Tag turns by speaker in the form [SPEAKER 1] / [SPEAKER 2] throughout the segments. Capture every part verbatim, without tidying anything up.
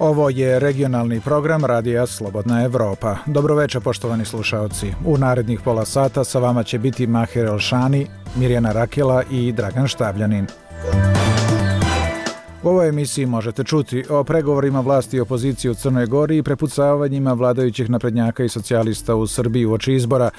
[SPEAKER 1] Ovo je regionalni program Radija Slobodna Evropa. Dobroveče, poštovani slušaoci. U narednih pola sata sa vama će biti Maher Elšani, Mirjana Rakela i Dragan Štavljanin. U ovoj emisiji možete čuti o pregovorima vlasti i opozicije u Crnoj Gori i prepucavanjima vladajućih naprednjaka i socijalista u Srbiji uoči izbora.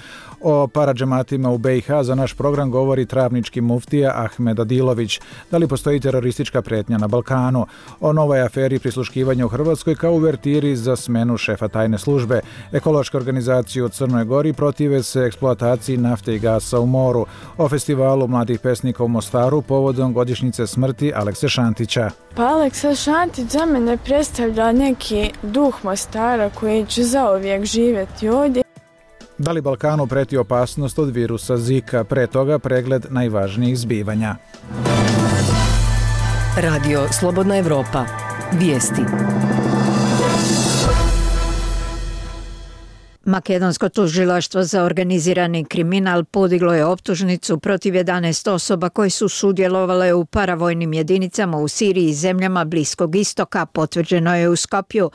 [SPEAKER 1] O paradžematima u be i ha za naš program govori travnički muftija Ahmed Adilović. Da li postoji teroristička pretnja na Balkanu? O novoj aferi prisluškivanja u Hrvatskoj kao uvertiri za smenu šefa tajne službe. Ekološke organizacije u Crnoj Gori protive se eksploataciji nafte i gasa u moru. O festivalu mladih pesnika u Mostaru povodom godišnjice smrti Alekse Šantića.
[SPEAKER 2] Pa Aleksa Šantić za mene predstavlja neki duh Mostara koji će zauvijek živjeti ovdje.
[SPEAKER 1] Da li Balkanu preti opasnost od virusa Zika? Pre toga pregled najvažnijih zbivanja.
[SPEAKER 3] Radio Slobodna Evropa. Vijesti. Makedonsko tužilaštvo za organizirani kriminal podiglo je optužnicu protiv jedanaest osoba koji su sudjelovale u paravojnim jedinicama u Siriji i zemljama Bliskog istoka, potvrđeno je u Skopju.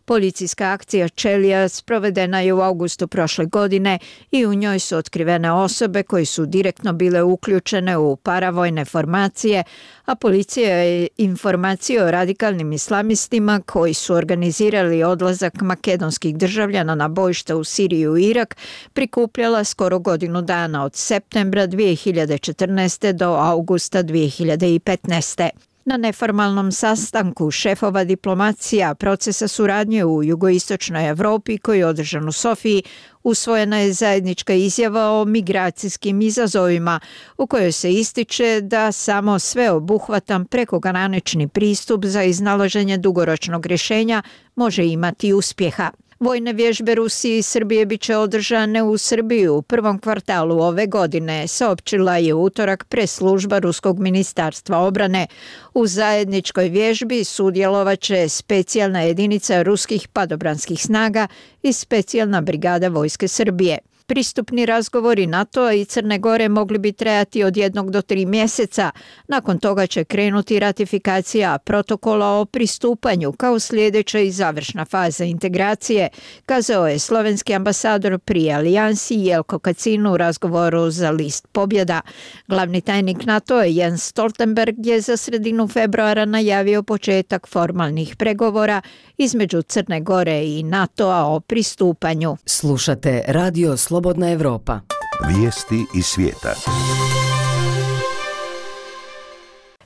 [SPEAKER 3] Policijska akcija Čelija sprovedena je u augustu prošle godine i u njoj su otkrivene osobe koji su direktno bile uključene u paravojne formacije, a policija je informacije o radikalnim islamistima koji su organizirali odlazak makedonskih državljana na bojišta u Siriju i Irak prikupljala skoro godinu dana od septembra dvije hiljade četrnaeste. do augusta dvije hiljade petnaeste. Na neformalnom sastanku šefova diplomacija procesa suradnje u jugoistočnoj Evropi koji je održan u Sofiji, usvojena je zajednička izjava o migracijskim izazovima u kojoj se ističe da samo sveobuhvatan prekogranični pristup za iznalaženje dugoročnog rješenja može imati uspjeha. Vojne vježbe Rusije i Srbije bit će održane u Srbiji u prvom kvartalu ove godine, saopćila je u utorak press-služba Ruskog ministarstva obrane. U zajedničkoj vježbi sudjelovat će specijalna jedinica ruskih padobranskih snaga i specijalna brigada vojske Srbije. Pristupni razgovori NATO-a i Crne Gore mogli bi trajati od jednog do tri mjeseca. Nakon toga će krenuti ratifikacija protokola o pristupanju kao sljedeća i završna faza integracije, kazao je slovenski ambasador pri alijansi Jelko Kacin u razgovoru za list Pobjeda. Glavni tajnik NATO-a Jens Stoltenberg je za sredinu februara najavio početak formalnih pregovora između Crne Gore i NATO-a o pristupanju.
[SPEAKER 4] Slušate Radio Slobodna Evropa.
[SPEAKER 5] Vijesti iz svijeta.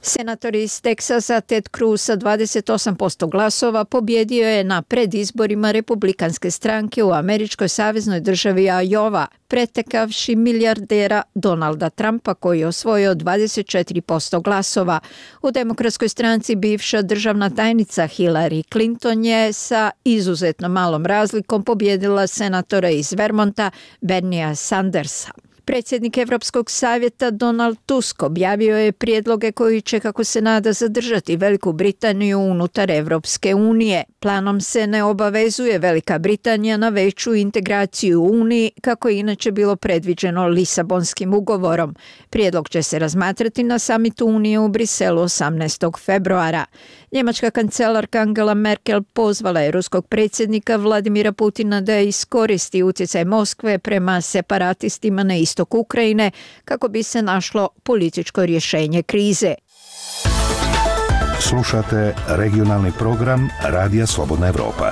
[SPEAKER 3] Senator iz Teksasa Ted Cruz sa dvadeset osam posto glasova pobjedio je na predizborima republikanske stranke u američkoj saveznoj državi Iowa, pretekavši milijardera Donalda Trumpa koji je osvojio dvadeset četiri posto glasova. U demokratskoj stranci bivša državna tajnica Hillary Clinton je sa izuzetno malom razlikom pobjedila senatora iz Vermonta Berniea Sandersa. Predsjednik Europskog savjeta Donald Tusk objavio je prijedloge koji će, kako se nada, zadržati Veliku Britaniju unutar Europske unije. Planom se ne obavezuje Velika Britanija na veću integraciju u Uniji, kako je inače bilo predviđeno Lisabonskim ugovorom. Prijedlog će se razmatrati na samitu Unije u Briselu osamnaestog februara. Njemačka kancelarka Angela Merkel pozvala je ruskog predsjednika Vladimira Putina da iskoristi utjecaj Moskve prema separatistima na istoku Ukrajine kako bi se našlo političko rješenje krize.
[SPEAKER 5] Slušate regionalni program Radija Slobodna Evropa.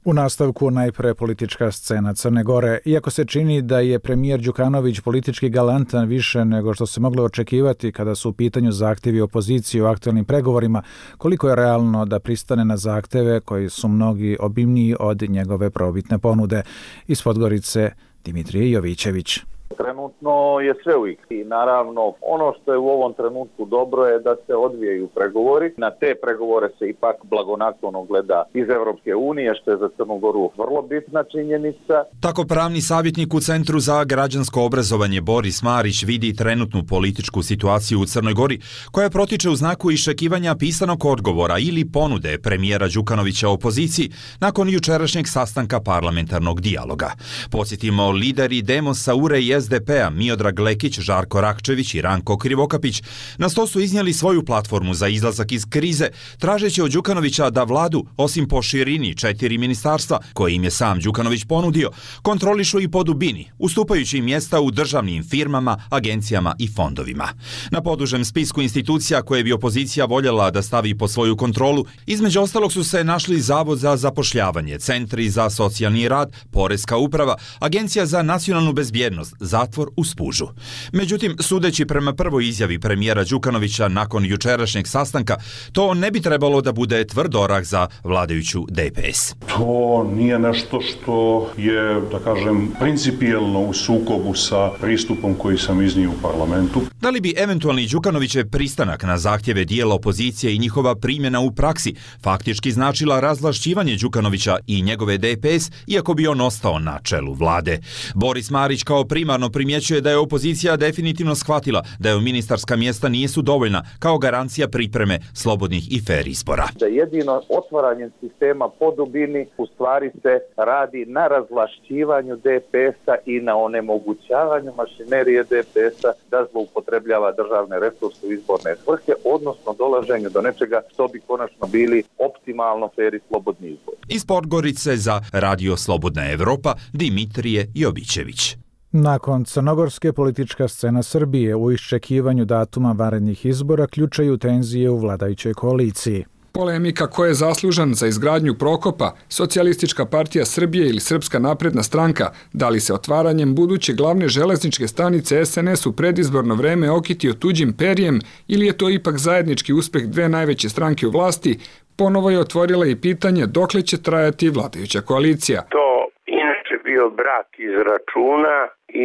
[SPEAKER 1] U nastavku najpre politička scena Crne Gore. Iako se čini da je premijer Đukanović politički galantan više nego što se moglo očekivati kada su u pitanju zahtjevi opozicije u aktualnim pregovorima, koliko je realno da pristane na zahtjeve koji su mnogi obimniji od njegove probitne ponude? Iz Podgorice Dimitrije Jovićević.
[SPEAKER 6] Trenutno je sve u igri i naravno ono što je u ovom trenutku dobro je da se odvijaju pregovori. Na te pregovore se ipak blagonaklono gleda iz Europske unije, što je za Crnu Goru vrlo bitna činjenica.
[SPEAKER 7] Tako pravni savjetnik u Centru za građansko obrazovanje Boris Marić vidi trenutnu političku situaciju u Crnoj Gori, koja protiče u znaku iščekivanja pisanog odgovora ili ponude premijera Đukanovića opoziciji nakon jučerašnjeg sastanka parlamentarnog dijaloga. Podsjetimo, lideri Demosa, U R E i S D P-a Miodrag Lekić, Žarko Rakčević i Ranko Krivokapić na sto su iznijeli svoju platformu za izlazak iz krize, tražeći od Đukanovića da vladu, osim po širini četiri ministarstva, koje im je sam Đukanović ponudio, kontrolišu i po dubini, ustupajući im mjesta u državnim firmama, agencijama i fondovima. Na podužem spisku institucija koje bi opozicija voljela da stavi po svoju kontrolu, između ostalog su se našli Zavod za zapošljavanje, Centri za socijalni rad, Poreska uprava, Agencija za nacionalnu bezbjednost, zatvor u Spužu. Međutim, sudeći prema prvoj izjavi premijera Đukanovića nakon jučerašnjeg sastanka, to ne bi trebalo da bude tvrd orah za vladajuću D P S.
[SPEAKER 8] To nije nešto što je, da kažem, principijelno u sukobu sa pristupom koji sam iznio u parlamentu.
[SPEAKER 7] Da li bi eventualni Đukanovićev pristanak na zahtjeve dijela opozicije i njihova primjena u praksi faktički značila razvlašćivanje Đukanovića i njegove D P S, iako bi on ostao na čelu vlade? Boris Marić kao primarno primjećuje da je opozicija definitivno shvatila da je ministarska mjesta nisu dovoljna kao garancija pripreme slobodnih i fer izbora.
[SPEAKER 6] Da jedino otvaranjem sistema po dubini u stvari se radi na razvlašćivanju D P S-a i na onemogućavanju mašinerije D P S-a da zloupotrebljava državne resurse u izborne svrhe, odnosno dolaženju do nečega što bi konačno bili optimalno fer i slobodni izbor.
[SPEAKER 7] Iz Podgorice za Radio Slobodna Evropa, Dimitrije Jobićević.
[SPEAKER 1] Nakon crnogorske politička scena Srbije u iščekivanju datuma vanrednih izbora ključaju tenzije u vladajućoj koaliciji.
[SPEAKER 9] Polemika ko je zaslužan za izgradnju Prokopa, Socijalistička partija Srbije ili Srpska napredna stranka, da li se otvaranjem buduće glavne železničke stanice S N S u predizborno vreme okitio tuđim perjem ili je to ipak zajednički uspeh dve najveće stranke u vlasti, ponovo je otvorila i pitanje dokle će trajati vladajuća koalicija.
[SPEAKER 10] To inače bio brak iz računa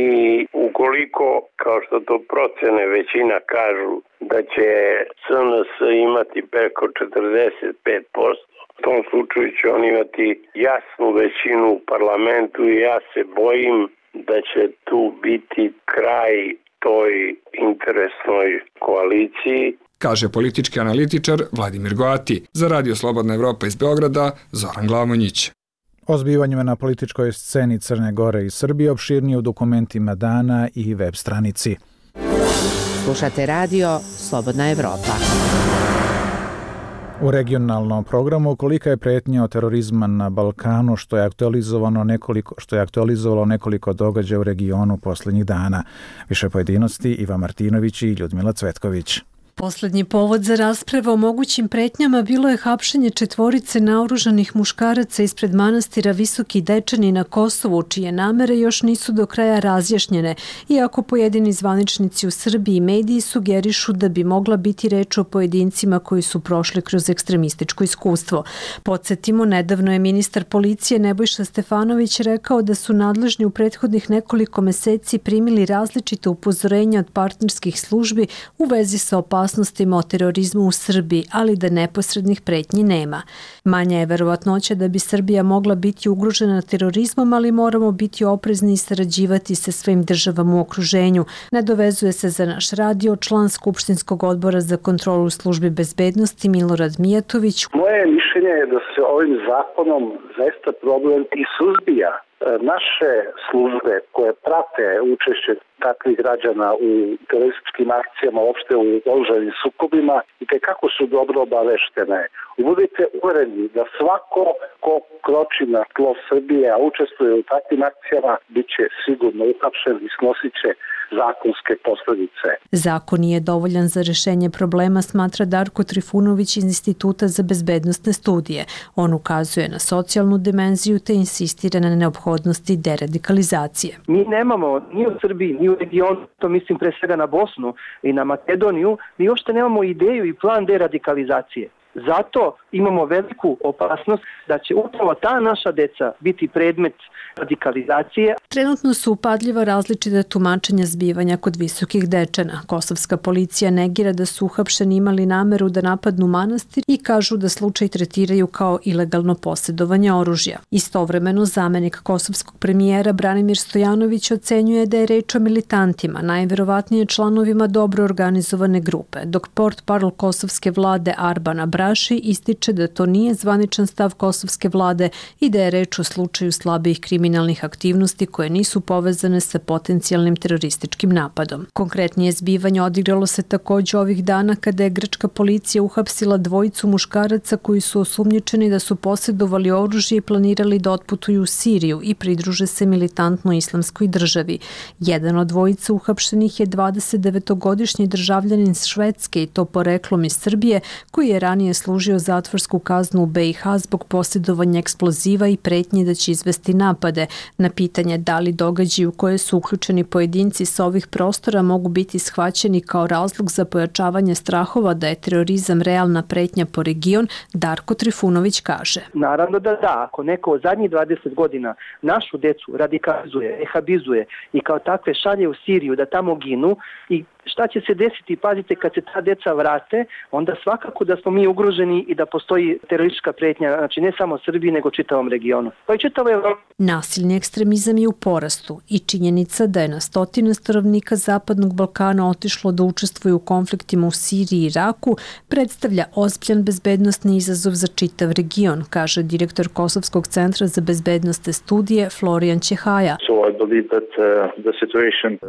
[SPEAKER 10] i ukoliko, kao što to procene većina kažu, da će S N S imati preko četrdeset pet posto, u tom slučaju će on imati jasnu većinu u parlamentu i ja se bojim da će tu biti kraj toj interesnoj koaliciji.
[SPEAKER 9] Kaže politički analitičar Vladimir Goati. Za Radio Slobodna Evropa iz Beograda, Zoran Glamonjić.
[SPEAKER 1] O zbivanjima na političkoj sceni Crne Gore i Srbije opširnije u dokumentima dana i web stranici.
[SPEAKER 4] Slušate Radio Slobodna Evropa.
[SPEAKER 1] U regionalnom programu kolika je pretnja od terorizma na Balkanu što je aktualizovano nekoliko što je aktualizovalo nekoliko događaja u regionu posljednjih dana. Više pojedinosti Iva Martinović i Ljudmila Cvetković.
[SPEAKER 11] Poslednji povod za raspravu o mogućim pretnjama bilo je hapšenje četvorice naoružanih muškaraca ispred manastira Visoki Dečani na Kosovu, čije namere još nisu do kraja razjašnjene, iako pojedini zvaničnici u Srbiji i mediji sugerišu da bi mogla biti reč o pojedincima koji su prošli kroz ekstremističko iskustvo. Podsjetimo, nedavno je ministar policije Nebojša Stefanović rekao da su nadležni u prethodnih nekoliko meseci primili različite upozorenja od partnerskih službi u vezi sa opasnostima o terorizmu u Srbiji, ali da neposrednih pretnji nema. Manja je verovatnoća da bi Srbija mogla biti ugrožena terorizmom, ali moramo biti oprezni i sarađivati sa svojim državama u okruženju. Nadovezuje se za naš radio član Skupštinskog odbora za kontrolu službi bezbednosti Milorad Mijatović.
[SPEAKER 12] Moje mišljenje je da se ovim zakonom zaista problem i suzbija. Naše službe koje prate učešće takvih građana u terorističkim akcijama, uopšte u oružanim sukobima, i kako su dobro obaveštene. Budite uvereni da svako ko kroči na tlo Srbije, a učestvuje u takvim akcijama, bit će sigurno uhapšen i snosit će zakonske posljedice.
[SPEAKER 11] Zakon nije dovoljan za rešenje problema, smatra Darko Trifunović iz Instituta za bezbednostne studije. On ukazuje na socijalnu dimenziju te insistira na neophodnosti deradikalizacije.
[SPEAKER 13] Mi nemamo ni u Srbiji, ni u regionu, to mislim pre svega na Bosnu i na Makedoniju, mi uopšte nemamo ideju i plan deradikalizacije. Zato imamo veliku opasnost da će upravo ta naša deca biti predmet radikalizacije.
[SPEAKER 11] Trenutno su upadljiva različita tumačenja zbivanja kod Visokih Dečana. Kosovska policija negira da su uhapšeni imali nameru da napadnu manastir i kažu da slučaj tretiraju kao ilegalno posjedovanje oružja. Istovremeno, zamenik kosovskog premijera Branimir Stojanović ocenjuje da je reč o militantima, najverovatnije članovima dobro organizovane grupe, dok portparol kosovske vlade Arbana Brač Raši ističe da to nije zvaničan stav kosovske vlade i da je reč o slučaju slabijih kriminalnih aktivnosti koje nisu povezane sa potencijalnim terorističkim napadom. Konkretnije zbivanje odigralo se također ovih dana kada je grčka policija uhapsila dvojicu muškaraca koji su osumnjičeni da su posjedovali oružje i planirali da otputuju u Siriju i pridruže se militantnoj islamskoj državi. Jedan od dvojica uhapšenih je dvadesetdevetogodišnji državljanin Švedske i to poreklom iz Srbije, koji je ranije služio zatvorsku kaznu u B i H zbog posjedovanja eksploziva i pretnji da će izvesti napade. Na pitanje da li događaji u koje su uključeni pojedinci sa ovih prostora mogu biti shvaćeni kao razlog za pojačavanje strahova da je terorizam realna pretnja po region, Darko Trifunović kaže.
[SPEAKER 13] Naravno da da, ako neko od zadnjih dvadeset godina našu decu radikalizuje, ehabizuje i kao takve šalje u Siriju da tamo ginu i šta će se desiti, pazite, kad se ta deca vrate, onda svakako da smo mi ugroženi i da postoji teroristička pretnja, znači ne samo Srbiji, nego čitavom regionu. Pa i čitavo Evropu.
[SPEAKER 11] Nasilni ekstremizam je u porastu i činjenica da je na stotine stanovnika Zapadnog Balkana otišlo da učestvuju u konfliktima u Siriji i Iraku predstavlja ozbiljan bezbednosni izazov za čitav region, kaže direktor Kosovskog centra za bezbednosne studije Florijan Ćehaja.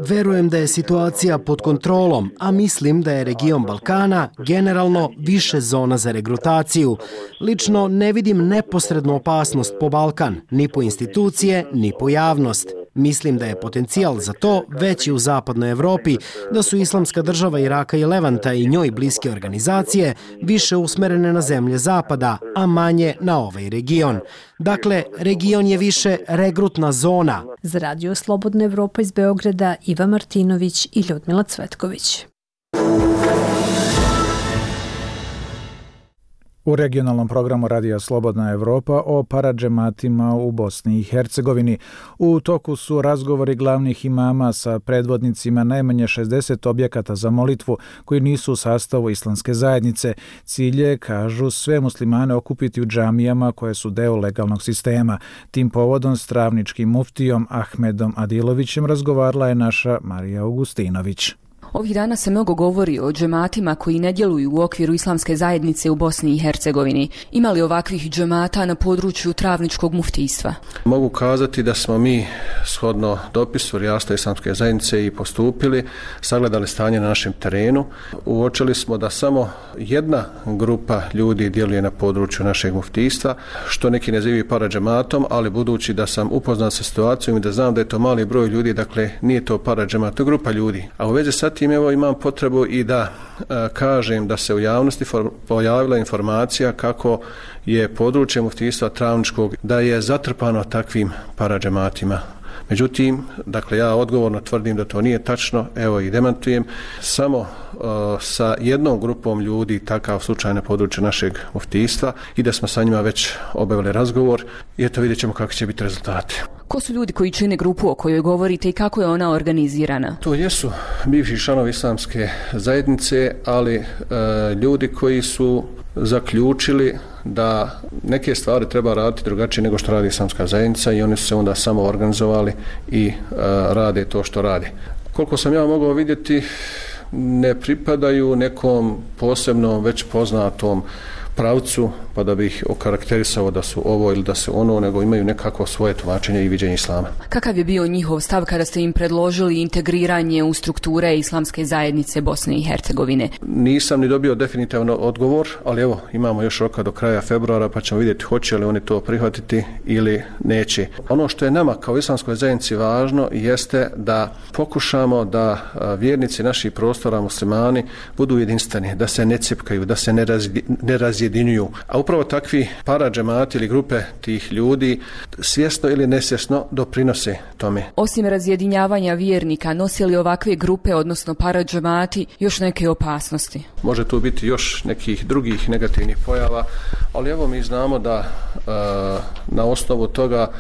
[SPEAKER 14] Verujem da je situacija pod kontrolom, a mislim da je region Balkana generalno više zona za regrutaciju. Lično ne vidim neposrednu opasnost po Balkan, ni po institucije, ni po javnost. Mislim da je potencijal za to veći u zapadnoj Evropi, da su Islamska država Iraka i Levanta i njoj bliske organizacije više usmerene na zemlje zapada, a manje na ovaj region. Dakle, region je više regrutna zona.
[SPEAKER 11] Za Radio Slobodna Evropa iz Beograda Iva Martinović i Ljudmila Cvetković.
[SPEAKER 1] U regionalnom programu Radija Slobodna Evropa o paradžematima u Bosni i Hercegovini. U toku su razgovori glavnih imama sa predvodnicima najmanje šezdeset objekata za molitvu koji nisu u sastavu islamske zajednice. Cilj je, kažu, sve muslimane okupiti u džamijama koje su deo legalnog sistema. Tim povodom s travničkim muftijom Ahmedom Adilovićem razgovarala je naša Marija Augustinović.
[SPEAKER 15] Ovih dana se mnogo govori o džematima koji ne djeluju u okviru islamske zajednice u Bosni i Hercegovini. Ima li ovakvih džemata na području travničkog muftijstva?
[SPEAKER 16] Mogu kazati da smo mi shodno dopisu Rijasta islamske zajednice i postupili, sagledali stanje na našem terenu. Uočili smo da samo jedna grupa ljudi djeluje na području našeg muftijstva, što neki nazivaju paradžematom, ali budući da sam upoznat sa situacijom i da znam da je to mali broj ljudi, dakle nije to paradžemat, to je grupa ljudi. A u vezi sa tim evo imam potrebu i da a, kažem da se u javnosti for, pojavila informacija kako je područje muftijstva travničkog da je zatrpano takvim paradžematima. Međutim, dakle ja odgovorno tvrdim da to nije tačno, evo i demantujem, samo uh, sa jednom grupom ljudi takav slučaj na području našeg muftijstva i da smo sa njima već obavili razgovor i eto vidjet ćemo kakvi će biti rezultati.
[SPEAKER 15] Ko su ljudi koji čine grupu o kojoj govorite i kako je ona organizirana?
[SPEAKER 16] To jesu bivši članovi islamske zajednice, ali e, ljudi koji su zaključili da neke stvari treba raditi drugačije nego što radi islamska zajednica i oni su se onda samo organizovali i e, rade to što rade. Koliko sam ja mogao vidjeti, ne pripadaju nekom posebnom već poznatom pravcu, pa da bih okarakterisao da su ovo ili da su ono, nego imaju nekako svoje tumačenje i viđenje islama.
[SPEAKER 15] Kakav je bio njihov stav kada ste im predložili integriranje u strukture islamske zajednice Bosne i Hercegovine?
[SPEAKER 16] Nisam ni dobio definitivno odgovor, ali evo, imamo još roka do kraja februara, pa ćemo vidjeti hoće li oni to prihvatiti ili neće. Ono što je nama kao islamskoj zajednici važno jeste da pokušamo da vjernici naših prostora, muslimani, budu jedinstveni, da se ne cipkaju, da se ne, razdi, ne razjedinjuju. A upravo takvi paradžemati ili grupe tih ljudi svjesno ili nesvjesno doprinose tome.
[SPEAKER 15] Osim razjedinjavanja vjernika, nosi li ovakve grupe, odnosno paradžemati, još neke opasnosti?
[SPEAKER 16] Može tu biti još nekih drugih negativnih pojava, ali evo mi znamo da e, na osnovu toga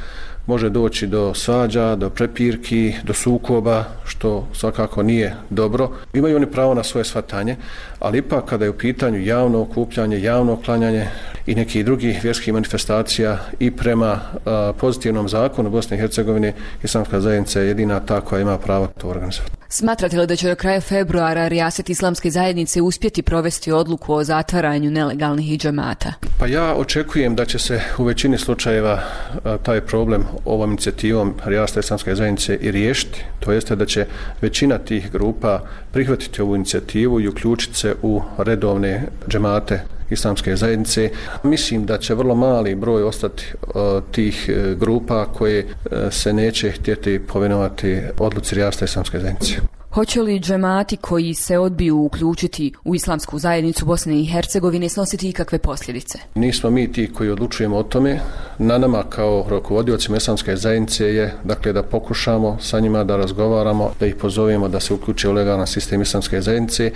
[SPEAKER 16] može doći do svađa, do prepirki, do sukoba, što svakako nije dobro. Imaju oni pravo na svoje shvatanje, ali ipak kada je u pitanju javno okupljanje, javno klanjanje i nekih drugih vjerskih manifestacija i prema a, pozitivnom zakonu Bosne i Hercegovine, islamska zajednica je jedina ta koja ima pravo to organizovati.
[SPEAKER 15] Smatrate li da će do kraja februara rijaset islamske zajednice uspjeti provesti odluku o zatvaranju nelegalnih džemata?
[SPEAKER 16] Pa ja očekujem da će se u većini slučajeva a, taj problem ovom inicijativom rijaseta islamske zajednice i riješiti. To jeste da će većina tih grupa prihvatiti ovu inicijativu i uključiti se u redovne džemate islamske zajednice. Mislim da će vrlo mali broj ostati uh, tih uh, grupa koje uh, se neće htjeti povinovati odluci rijaseta islamske zajednice.
[SPEAKER 15] Hoće li džemati koji se odbiju uključiti u islamsku zajednicu Bosne i Hercegovine snositi ikakve posljedice?
[SPEAKER 16] Nismo mi ti koji odlučujemo o tome. Na nama kao rukovodiocima islamske zajednice je dakle da pokušamo sa njima da razgovaramo, da ih pozovemo da se uključe u legalan sistem islamske zajednice.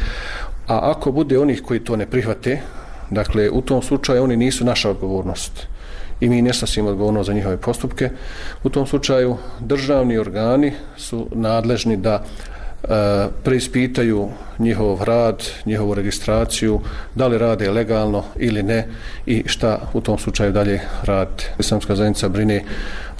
[SPEAKER 16] A ako bude onih koji to ne prihvate, dakle u tom slučaju oni nisu naša odgovornost i mi ne snosimo odgovornost za njihove postupke. U tom slučaju državni organi su nadležni da e, preispitaju njihov rad, njihovu registraciju, da li rade legalno ili ne i šta u tom slučaju dalje rade. Islamska zajednica brine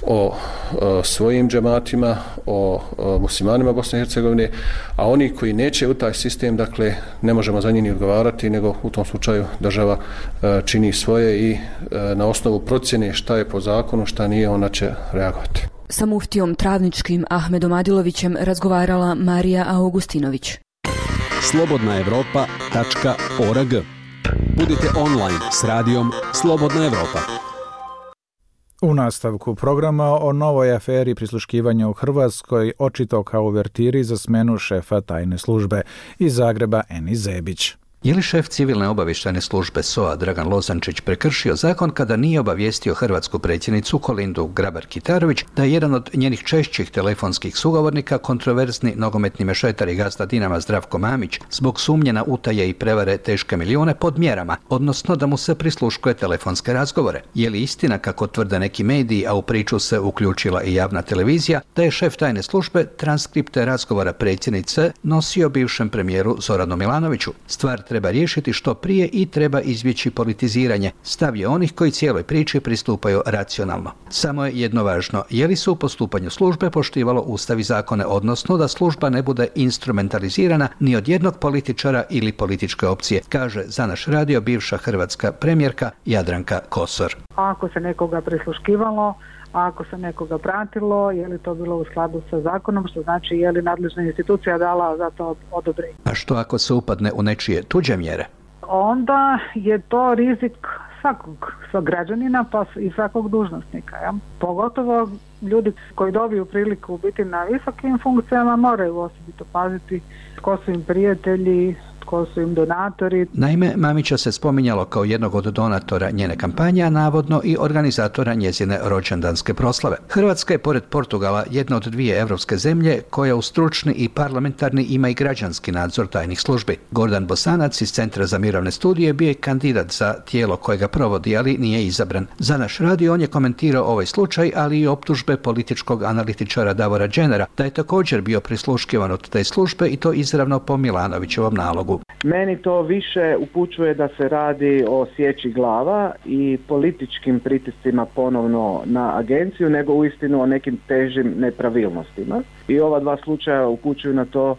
[SPEAKER 16] o, o svojim džematima, o, o muslimanima Bosne i Hercegovine, a oni koji neće u taj sistem, dakle, ne možemo za njih ni odgovarati, nego u tom slučaju država e, čini svoje i e, na osnovu procjene šta je po zakonu, šta nije, ona će reagovati.
[SPEAKER 15] Sa muftijom Travničkim Ahmedom Adilovićem razgovarala Marija Augustinović.
[SPEAKER 17] slobodna evropa tačka org. Budite online s radijom Slobodna Evropa.
[SPEAKER 1] U nastavku programa o novoj aferi prisluškivanja u Hrvatskoj, očito kao uvertiri za smenu šefa tajne službe. Iz Zagreba Eni Zebić.
[SPEAKER 18] Je li šef civilne obavještajne službe S O A Dragan Lozančić prekršio zakon kada nije obavijestio hrvatsku predsjednicu Kolindu Grabar-Kitarović da je jedan od njenih češćih telefonskih sugovornika kontroverzni nogometni mešetar i gazda Dinama Zdravko Mamić zbog sumnje na utaje i prevare teške milijune pod mjerama, odnosno da mu se prisluškuje telefonske razgovore? Je li istina, kako tvrde neki mediji, a u priču se uključila i javna televizija, da je šef tajne službe transkripte razgovora predsjednice nosio bivšem premijeru Zoranu Milanoviću? Stvar treba riješiti što prije i treba izbjeći politiziranje, stav je onih koji cijeloj priči pristupaju racionalno. Samo je jedno važno, je li se u postupanju službe poštivalo ustav i zakone, odnosno da služba ne bude instrumentalizirana ni od jednog političara ili političke opcije, kaže za naš radio bivša hrvatska premijerka Jadranka Kosor.
[SPEAKER 19] Ako se nekoga prisluškivalo, ako se nekoga pratilo, je li to bilo u skladu sa zakonom, što znači je li nadležna institucija dala za to odobrenje.
[SPEAKER 18] A što ako se upadne u nečije tuđe mjere?
[SPEAKER 19] Onda je to rizik svakog, svakog građanina pa i svakog dužnosnika. Ja? Pogotovo ljudi koji dobiju priliku biti na visokim funkcijama moraju osobito paziti tko su im prijatelji, tko su im donatori.
[SPEAKER 18] Naime, Mamića se spominjalo kao jednog od donatora njene kampanje, a navodno i organizatora njezine rođendanske proslave. Hrvatska je pored Portugala jedna od dvije evropske zemlje koja u stručni i parlamentarni ima i građanski nadzor tajnih službi. Gordan Bosanac iz Centra za mirovne studije bio je kandidat za tijelo koje ga provodi, ali nije izabran. Za naš radio on je komentirao ovaj slučaj, ali i optužbe političkog analitičara Davora Dženera da je također bio prisluškivan od te službe i to izravno po Milanovićevom nalogu.
[SPEAKER 20] Meni to više upućuje da se radi o sječi glava i političkim pritiscima ponovno na agenciju, nego uistinu o nekim težim nepravilnostima. I ova dva slučaja upućuju na to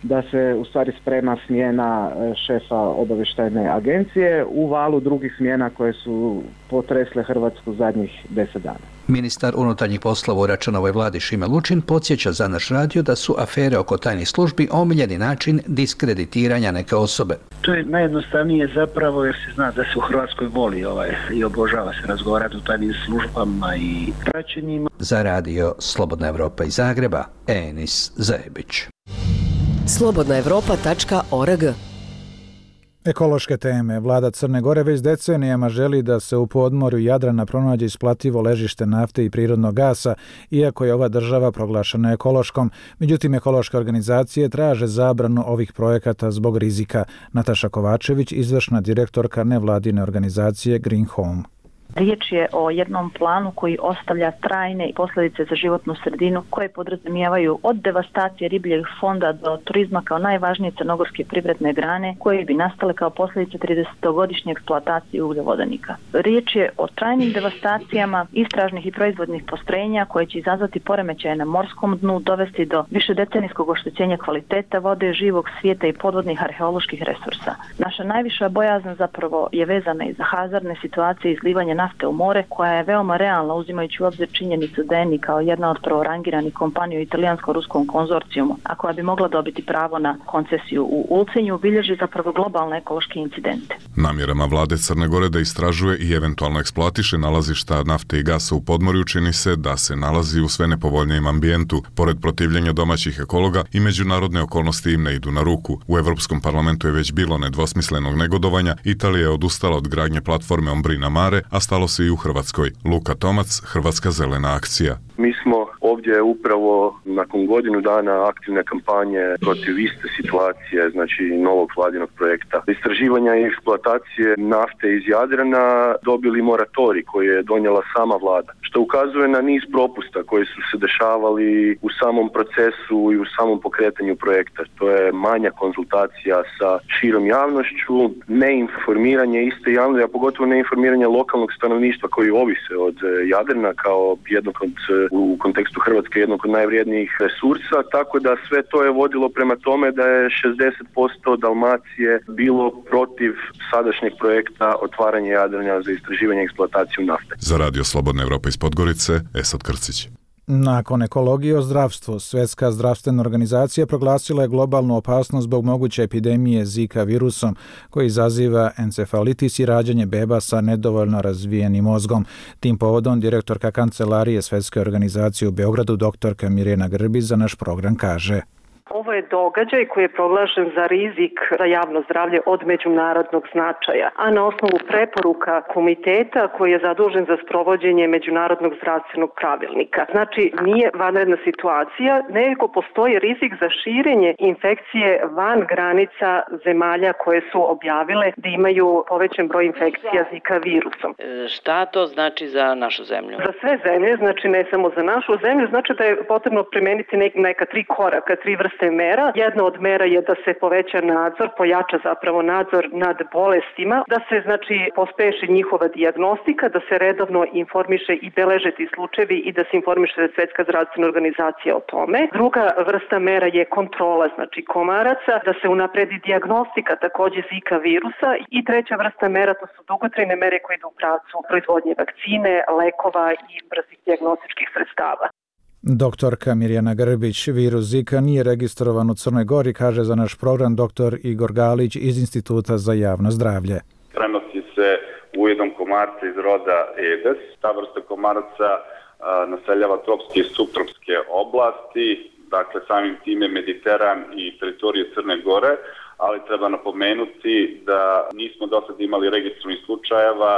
[SPEAKER 20] da se u stvari sprema smjena šefa obavještajne agencije u valu drugih smjena koje su potresle Hrvatsku zadnjih deset dana.
[SPEAKER 18] Ministar unutarnjih poslova u Račanovoj vladi Šime Lučin podsjeća za naš radio da su afere oko tajnih službi omiljeni način diskreditiranja neke osobe.
[SPEAKER 21] To je najjednostavnije zapravo jer se zna da se u Hrvatskoj voli ovaj, i obožava se razgovarati o tajnim službama i praćenjima.
[SPEAKER 18] Za radio Slobodna Evropa iz Zagreba, Enis Zebić.
[SPEAKER 22] slobodna evropa tačka org.
[SPEAKER 1] Ekološke teme. Vlada Crne Gore već decenijama želi da se u podmorju Jadrana pronađe isplativo ležište nafte i prirodnog gasa, iako je ova država proglašena ekološkom. Međutim, ekološke organizacije traže zabranu ovih projekata zbog rizika. Nataša Kovačević, izvršna direktorka nevladine organizacije Green Home.
[SPEAKER 2] Riječ je o jednom planu koji ostavlja trajne posljedice za životnu sredinu koje podrazumijevaju od devastacije ribljeg fonda do turizma kao najvažnije crnogorske privredne grane koje bi nastale kao posljedice tridesetogodišnje eksploatacije ugljavodonika. Riječ je o trajnim devastacijama istražnih i proizvodnih postrojenja koje će izazvati poremećaje na morskom dnu, dovesti do višedecenijskog oštećenja kvaliteta vode, živog svijeta i podvodnih arheoloških resursa. Naša najviša bojazna zapravo je vezana i za hazardne situacije izlivanja nafte u more, koja je veoma realna uzimajući u obzir činjenicu da Eni kao jedna od prvorangiranih kompanija u italijansko-ruskom konzorcijumu, a koja bi mogla dobiti pravo na koncesiju u Ulcinju, bilježi zapravo globalne ekološke incidente.
[SPEAKER 3] Namjerama vlade Crne Gore da istražuje i eventualno eksploatiše nalazišta nafte i gasa u podmorju čini se da se nalazi u sve nepovoljnijem ambijentu. Pored protivljenja domaćih ekologa i međunarodne okolnosti im ne idu na ruku. U Europskom parlamentu je već bilo nedvosmislenog negodovanja. Italija je odustala od gradnje platforme Ombrina Mare, a stalo se i u Hrvatskoj. Luka Tomac, Hrvatska zelena akcija.
[SPEAKER 23] Mi smo ovdje upravo nakon godinu dana aktivne kampanje protiv iste situacije, znači novog vladinog projekta istraživanja i eksploatacije nafte iz Jadrana dobili moratorij koji je donijela sama vlada, što ukazuje na niz propusta koji su se dešavali u samom procesu i u samom pokretanju projekta. To je manja konzultacija sa širom javnošću, neinformiranje iste javnosti, a pogotovo neinformiranje lokalnog stanovništva koji ovise od Jadrana kao jednog od, u kontekstu Hrvatske, jednog od najvrijednijih resursa, tako da sve to je vodilo prema tome da je šezdeset posto Dalmacije bilo protiv sadašnjeg projekta otvaranja Jadrana za istraživanje i eksploataciju nafte.
[SPEAKER 3] Za Radio Slobodna Evropa iz Podgorice, Esad Krcić.
[SPEAKER 1] Nakon ekologije o zdravstvu, Svjetska zdravstvena organizacija proglasila je globalnu opasnost zbog moguće epidemije Zika virusom koji izaziva encefalitis i rađanje beba sa nedovoljno razvijenim mozgom. Tim povodom direktorka kancelarije Svjetske organizacije u Beogradu doktorka Mirjana Grbić za naš program kaže:
[SPEAKER 24] Ovo je događaj koji je proglašen za rizik za javno zdravlje od međunarodnog značaja, a na osnovu preporuka komiteta koji je zadužen za sprovođenje međunarodnog zdravstvenog pravilnika. Znači, nije vanredna situacija, nego postoji rizik za širenje infekcije van granica zemalja koje su objavile da imaju povećan broj infekcija Zika virusom.
[SPEAKER 25] E, šta to znači za našu zemlju?
[SPEAKER 24] Za sve zemlje, znači ne samo za našu zemlju, znači da je potrebno primeniti neka tri koraka, tri vrste mera. Jedna od mera je da se poveća nadzor, pojača zapravo nadzor nad bolestima, da se znači pospeši njihova dijagnostika, da se redovno informiše i beleže ti slučajevi i da se informiše Svjetska zdravstvena organizacija o tome. Druga vrsta mera je kontrola, znači komaraca, da se unapredi dijagnostika također Zika virusa i treća vrsta mera to su dugotrajne mere koje idu u pravcu proizvodnje vakcine, lekova i brzih dijagnostičkih sredstava.
[SPEAKER 1] Doktorka Mirjana Grbić, virus Zika nije registrovan u Crnoj Gori, kaže za naš program doktor Igor Galić iz Instituta za javno zdravlje.
[SPEAKER 26] Prenosi se u jednom komarca iz roda Aedes. Ta vrsta komaraca a, naseljava tropske i subtropske oblasti, dakle samim time Mediteran i teritorije Crne Gore, ali treba napomenuti da nismo do sada imali registrovanih slučajeva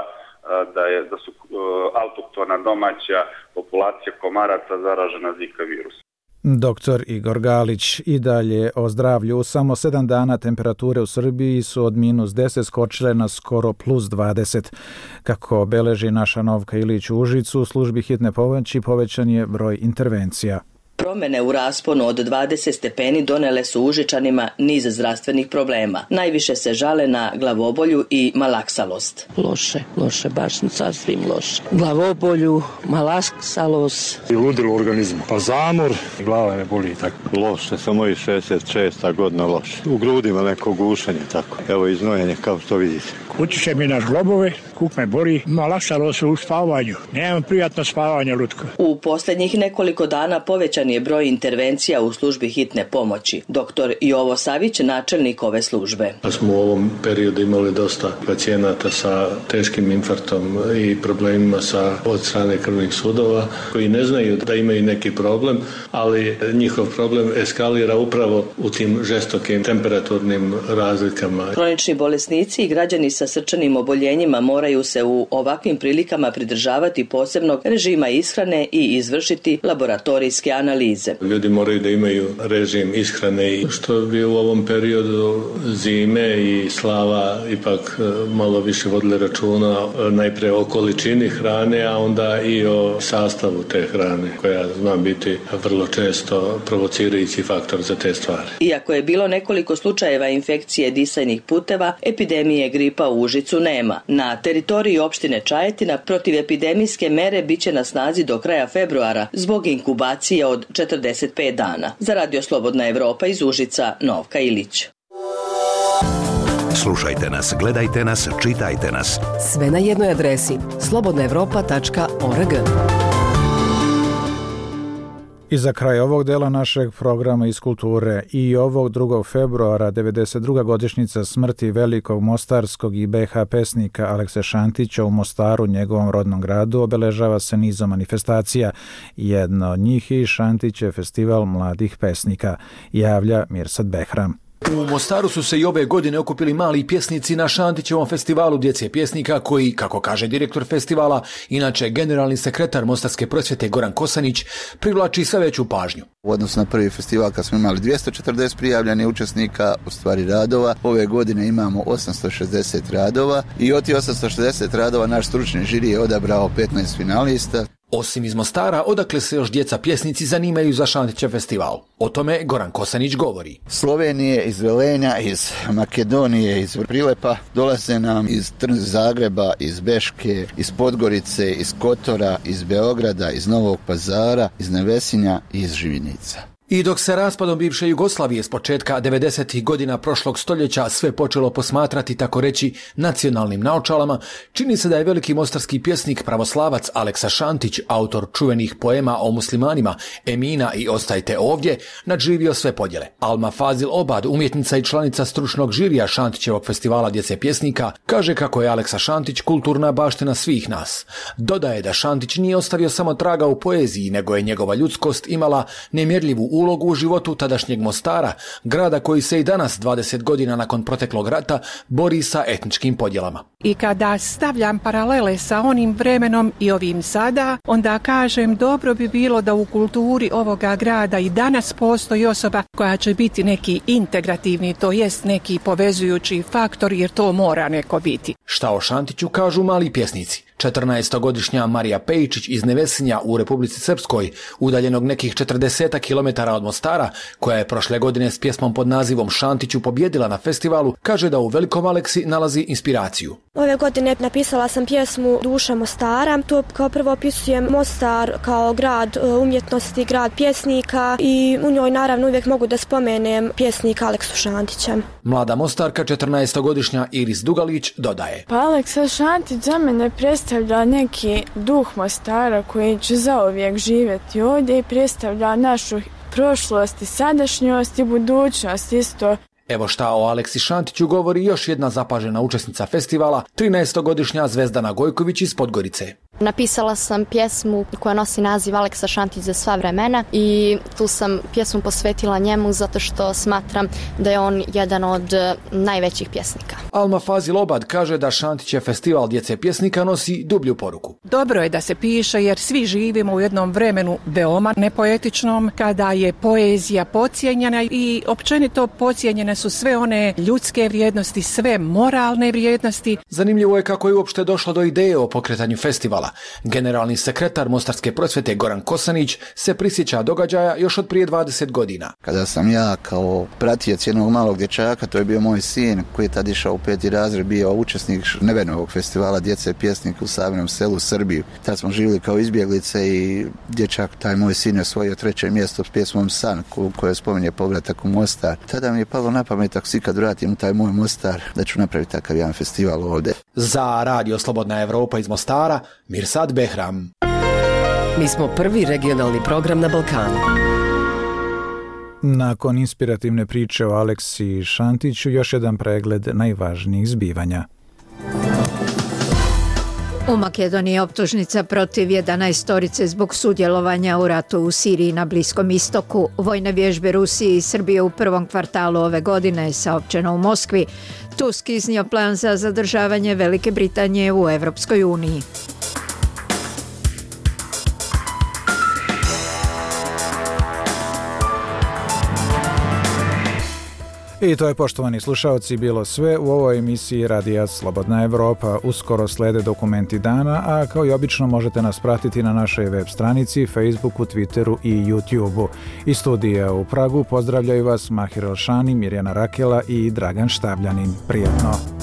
[SPEAKER 26] da je da su uh, autohtona domaća populacija komaraca zaražena Zika virusom.
[SPEAKER 1] Doktor Igor Galić. I dalje o zdravlju. Samo sedam dana temperature u Srbiji su od minus deset skočile na skoro plus dvadeset. Kako beleži naša Novka Ilić u Užicu, u službi hitne pomoći povećan je broj intervencija.
[SPEAKER 27] Promjene u rasponu od dvadeset stepeni donele su Užičanima niz zdravstvenih problema. Najviše se žale na glavobolju i malaksalost.
[SPEAKER 28] Loše, loše, baš sasvim loše. Glavobolju, malaksalost.
[SPEAKER 29] I ludilo organizmu. Pa zamor, glava me boli tako. Loše, samo i šezdeset šesta godina loše. U grudima neko gušanje tako. Evo iznojenje kao što vidite.
[SPEAKER 30] Utiče mi na globove, kuk me boli, malaksalost u spavanju. Nemam prijatno spavanje lutko.
[SPEAKER 27] U posljednjih nekoliko dana povećan je broj intervencija u službi hitne pomoći. Doktor Jovo Savić, načelnik ove službe.
[SPEAKER 31] Da smo u ovom periodu imali dosta pacijenata sa teškim infarktom i problemima sa od strane krvnih sudova koji ne znaju da imaju neki problem, ali njihov problem eskalira upravo u tim žestokim temperaturnim razlikama.
[SPEAKER 27] Kronični bolesnici i građani sa srčanim oboljenjima moraju moraju se u ovakvim prilikama pridržavati posebnog režima ishrane i izvršiti laboratorijske analize.
[SPEAKER 31] Ljudi moraju da imaju režim ishrane i što bi u ovom periodu zime i slava ipak malo više vodili računa najpre o količini hrane, a onda i o sastavu te hrane koja zna biti vrlo često provocirajući faktor za te stvari.
[SPEAKER 27] Iako je bilo nekoliko slučajeva infekcije disajnih puteva, epidemije gripa u Užicu nema. Na teritoriji opštine Čajetina protivepidemijske mere biće na snazi do kraja februara zbog inkubacije od četrdeset pet dana. Za Radio Slobodna Evropa iz Užica, Novka Ilić.
[SPEAKER 4] Slušajte nas, gledajte nas, čitajte nas.
[SPEAKER 22] Sve na jednoj adresi slobodna evropa tačka org.
[SPEAKER 1] I za kraj ovog dela našeg programa iz kulture i ovog drugog februara devedeset druga godišnjica smrti velikog mostarskog i be ha pesnika Alekse Šantića u Mostaru, njegovom rodnom gradu, obeležava se nizom manifestacija. Jedna od njih je i Šantićev festival mladih pesnika, javlja Mirsad Behram.
[SPEAKER 5] U Mostaru su se i ove godine okupili mali pjesnici na Šantićevom festivalu djece pjesnika koji, kako kaže direktor festivala, inače generalni sekretar Mostarske prosvjete Goran Kosanić, privlači sve veću pažnju.
[SPEAKER 6] U odnosu na prvi festival kad smo imali dvjesto četrdeset prijavljenih učesnika, u stvari radova, ove godine imamo osamsto šezdeset radova i od tih osamsto šezdeset radova naš stručni žiri je odabrao petnaest finalista.
[SPEAKER 5] Osim iz Mostara, odakle se još djeca pjesnici zanimaju za Šantićev festival. O tome Goran Kosanić govori.
[SPEAKER 6] Slovenije, iz Velenja, iz Makedonije, iz Prilepa, dolaze nam iz Zagreba, iz Beške, iz Podgorice, iz Kotora, iz Beograda, iz Novog Pazara, iz Nevesinja i iz Živinica.
[SPEAKER 5] I dok se raspadom bivše Jugoslavije s početka devedesetih godina prošlog stoljeća sve počelo posmatrati, tako reći, nacionalnim naočalama, čini se da je veliki mostarski pjesnik pravoslavac Aleksa Šantić, autor čuvenih poema o muslimanima Emina i Ostajte ovdje, nadživio sve podjele. Alma Fazil Obad, umjetnica i članica stručnog žirija Šantićevog festivala djece pjesnika, kaže kako je Aleksa Šantić kulturna baština svih nas. Dodaje da Šantić nije ostavio samo traga u poeziji, nego je njegova ljudskost imala nemjerljivu ulogu u životu tadašnjeg Mostara, grada koji se i danas, dvadeset godina nakon proteklog rata, bori sa etničkim podjelama.
[SPEAKER 7] I kada stavljam paralele sa onim vremenom i ovim sada, onda kažem dobro bi bilo da u kulturi ovoga grada i danas postoji osoba koja će biti neki integrativni, to jest neki povezujući faktor, jer to mora neko biti.
[SPEAKER 5] Šta o Šantiću kažu mali pjesnici? četrnaestogodišnja Marija Pejičić iz Nevesinja u Republici Srpskoj, udaljenog nekih četrdeset kilometara od Mostara, koja je prošle godine s pjesmom pod nazivom Šantiću pobjedila na festivalu, kaže da u Velikom Aleksi nalazi inspiraciju.
[SPEAKER 8] Ove godine napisala sam pjesmu Duša Mostara. To kao prvo opisujem Mostar kao grad umjetnosti, grad pjesnika i u njoj naravno uvijek mogu da spomenem pjesnika Aleksu Šantića.
[SPEAKER 5] Mlada Mostarka, četrnaestogodišnja Iris Dugalić, dodaje.
[SPEAKER 9] Pa Aleksa Šantić za mene predstavlja neki duh Mostara koji će zauvijek živjeti ovdje i predstavlja našu prošlost i sadašnjost i budućnost isto.
[SPEAKER 5] Evo šta o Aleksi Šantiću govori još jedna zapažena učesnica festivala, trinaestogodišnja Zvezdana Gojković iz Podgorice.
[SPEAKER 10] Napisala sam pjesmu koja nosi naziv Aleksa Šantić za sva vremena i tu sam pjesmu posvetila njemu zato što smatram da je on jedan od najvećih pjesnika.
[SPEAKER 5] Alma Fazil Obad kaže da Šantićev festival djece pjesnika nosi dublju poruku.
[SPEAKER 7] Dobro je da se piše jer svi živimo u jednom vremenu veoma nepoetičnom kada je poezija podcijenjena i općenito podcijenjene su sve one ljudske vrijednosti, sve moralne vrijednosti.
[SPEAKER 5] Zanimljivo je kako je uopšte došlo do ideje o pokretanju festivala. Generalni sekretar Mostarske prosvjete Goran Kosanić se prisjeća događaja još od prije dvadeset godina.
[SPEAKER 6] Kada sam ja kao pratijac jednog malog dječaka, to je bio moj sin koji je tad išao u peti razred, bio učesnik Nevenovog festivala djece pjesnika u Savinom selu u Srbiji. Tad smo živjeli kao izbjeglice i dječak, taj moj sin je osvojio treće mjesto s pjesmom San koje spominje povratak u Mostar. Tada mi je palo na pamet ako si kad vratim u taj moj Mostar da ću napraviti takav jedan festival ovdje.
[SPEAKER 5] Za Radio Slobodna Evropa iz Mostara, Mirsad Behram.
[SPEAKER 22] Mi smo prvi regionalni program na Balkanu.
[SPEAKER 1] Nakon inspirativne priče o Aleksi Šantiću, još jedan pregled najvažnijih zbivanja.
[SPEAKER 11] U Makedoniji je optužnica protiv jedanaestorice zbog sudjelovanja u ratu u Siriji na Bliskom istoku. Vojne vježbe Rusije i Srbije u prvom kvartalu ove godine, saopćeno u Moskvi. Tusk iznio plan za zadržavanje Velike Britanije u Evropskoj uniji.
[SPEAKER 1] I to je, poštovani slušalci, bilo sve u ovoj emisiji Radija Slobodna Evropa. Uskoro slede dokumenti dana, a kao i obično možete nas pratiti na našoj web stranici, Facebooku, Twitteru i YouTubeu. Iz studija u Pragu pozdravljaju vas Mahir Elšani, Mirjana Rakela i Dragan Štabljanin. Prijatno!